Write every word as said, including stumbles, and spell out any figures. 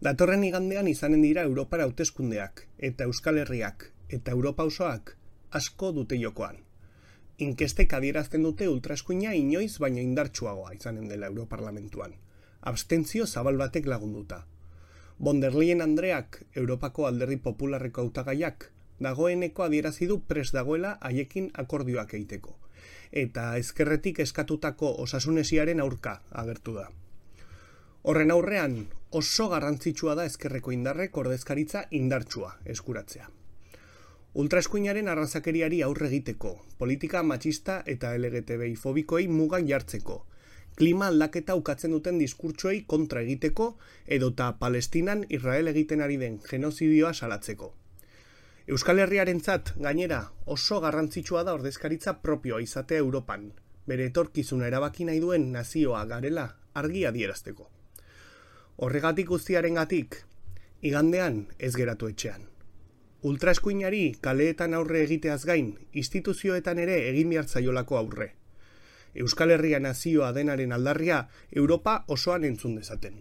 Datorren igandean izanen dira Europara hauteskundeak, eta Euskal Herriak, eta Europa osoak asko dute jokoan. Inkestek adierazten dute ultraeskuina inoiz baino indartsuagoa izanen dela Europarlamentuan. Abstentzio zabal batek lagunduta. Von der Leyen Andreak, Europako Alderdi Popularreko hautagaiak, dagoeneko adierazi du prest dagoela haiekin akordioak egiteko, eta ezkerretik eskatutako osasunesiaren aurka agertu da. Horren aurrean, oso garrantzitsua da ezkerreko indarrek ordezkaritza indartsua eskuratzea. Ultraeskuinaren arrazakeriari aurre egiteko, politika matxista eta L G T B I fobikoei mugak jartzeko, klima aldaketa ukatzen duten diskurtsoei kontra egiteko edota Palestinan Israel egiten ari den genozidioa salatzeko. Euskal Herriarentzat, gainera, oso garrantzitsua da ordezkaritza propioa izatea Europan, bere etorkizuna erabaki nahi duen nazioa garela argi adierazteko. Horregatik guztiarengatik, igandean ez geratu etxean. Ultraeskuinari kaleetan aurre egiteaz gain, instituzioetan ere egin behar zaiolako aurre. Euskal Herria nazioa denaren aldarria Europa osoan entzun dezaten.